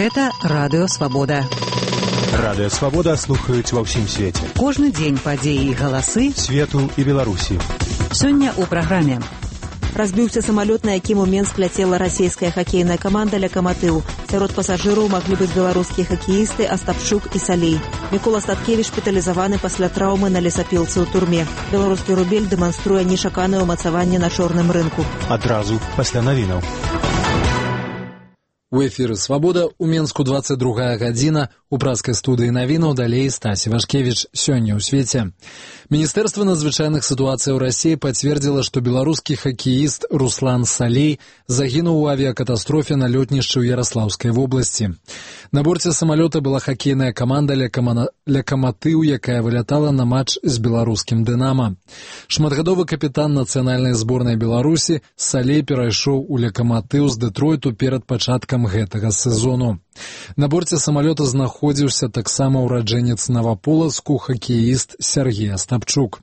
Гэта Радыё Свабода. Радыё Свабода слухаюць ва ўсім свеце. Кожны дзень падзеі і галасы свету і Беларусі. Сёння ў праграме. Разбіўся самалёт, на якім у Менск ляцела расійская хакейная каманда «Локомотив». Сярод пасажыраў маглі быць беларускія хакеісты Астапчук і Салей. Мікола Статкевіч шпіталізаваны пасля траўмы на лесапілцы ў турме. Беларускі рубель дэманструе нечаканае ўмацаванне на чорным рынку. Адразу пасля навінаў. У эфіры «Свабода» у Менску 22 гадзіна. У праскай студыі навінаў далей Стасі Вашкевіч. Сёння ў свеце. Міністэрства надзвычайных сітуацый ў Расіі пацвердзіла, што беларускі хакеіст Руслан Салей загінуў у авіякатастрофе на лётнішчы ў Яраслаўскай вобласці. На борце самалёта была хакейная каманда «Локомотив», якая вылятала на матч з беларускім «Дынама». Шматгадовы капітан нацыянальнай зборнай Беларусі Салей перайшоў у «Локомотив» з Дэтройту перад пачаткам гэтага сезону. На борце самалёта знаходзіўся таксама ўраджэнец Наваполацку хакеіст Сергей Астапчук.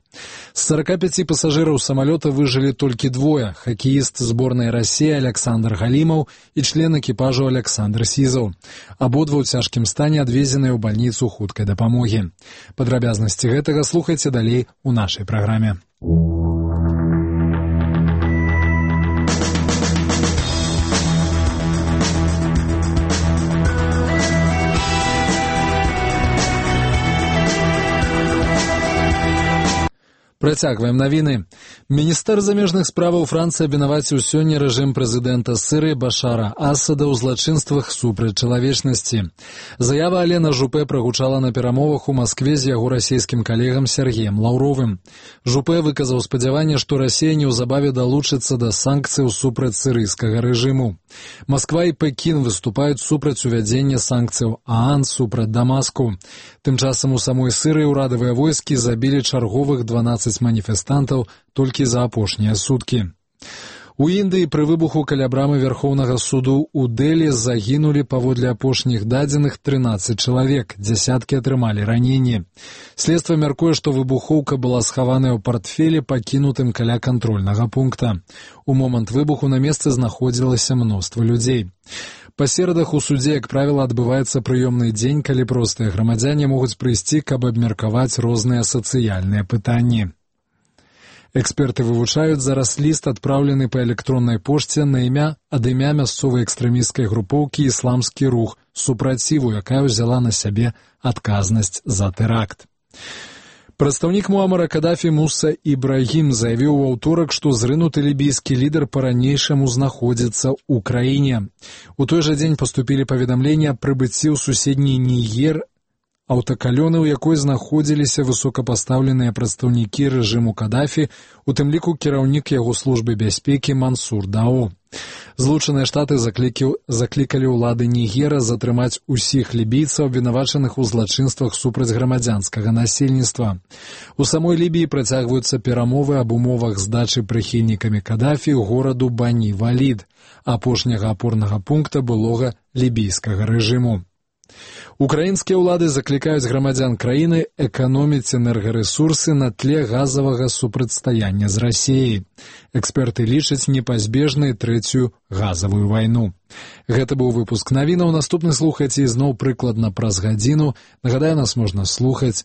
З 45 пасажыраў самалёта выжылі толькі двое – хакеіст зборнай Расіі Александр Галімаў і член экіпажу Александр Сізаў. Абодва ў цяжкім стане адвезеныя ў бальніцу хуткай дапамогі. Падрабязнасці гэтага слухайце далей у нашай праграме. Працягваем навіны. Міністэр замежных справаў Францыі абвінаваціў сёння рэжым прэзідэнта Сірыі Башара Асада ў злачынствах супраць чалавечнасці. Заява Алена Жупе прагучала на перамовах у Маскве з яго расійскім калегам Сергеем Лаўровым. Жупе выказаў спадзяванне, што Расія неўзабаве далучыцца да санкцыяў супраць сірыйскага рэжыму. Масква і Пекін выступаюць супраць увядзення санкцыяў ААН супраць Дамаску. Тым часам у самой Сірыі ўрадавыя войскі забілі чарговых 12 маніфестантаў толькі за апошнія суткі. У Індыі пры выбуху каля брамы Верхоўнага суду ў Дэлі загінулі паводле апошніх дадзеных 13 чалавек, дзясяткі атрымалі раненні. Следства мяркуе, што выбухоўка была схаваная ў партфелі, пакінутым каля кантрольнага пункта. У момант выбуху на месцы знаходзілася мноства людзей. Па серадах у судзе, як правіла, адбываецца прыёмны дзень, калі простыя грамадзяне могуць прыйсці, каб абмеркаваць розныя сацыяльныя пытанні. Эксперты вывучаюць зараз ліст, адпраўлены па электроннай пошце ад імя мясцовай экстрэмісцкай групоўкі «Ісламскі рух» супраціву, якая ўзяла на сябе адказнасць за тэракт. Прадстаўнік Муамара Кадафі Муса Ібрагім заявіў у аўторак, што зрынуты лібійскі лідар па-ранейшаму знаходзіцца ў краіне. У той жа дзень паступілі паведамленні аб прыбыцці ў суседні Нігер аўтакалёны, у якой знаходзіліся высокапастаўленыя прадстаўнікі рэжыму Кадафі, у тым ліку кіраўнік яго службы бяспекі Мансур Дао. Злучаныя Штаты заклікалі ўлады Нігера затрымаць усіх лібійцаў, абвінавачаных у злачынствах супраць грамадзянскага насельніцтва. У самой Лібіі працягваюцца перамовы аб умовах здачы прыхільнікамі Кадафі гораду Бані-Валід, апошняга апорнага пункта былога лібійскага рэжыму. Украінскія ўлады заклікаюць грамадзян краіны эканоміць энергарэсурсы на тле газавага супрацьстаяння з Расіяй. Эксперты лічаць непазбежнай трэцюю газавую вайну. Гэта быў выпуск навінаў. Наступны слухайце ізноў прыкладна праз гадзіну. Нагадаю, нас можна слухаць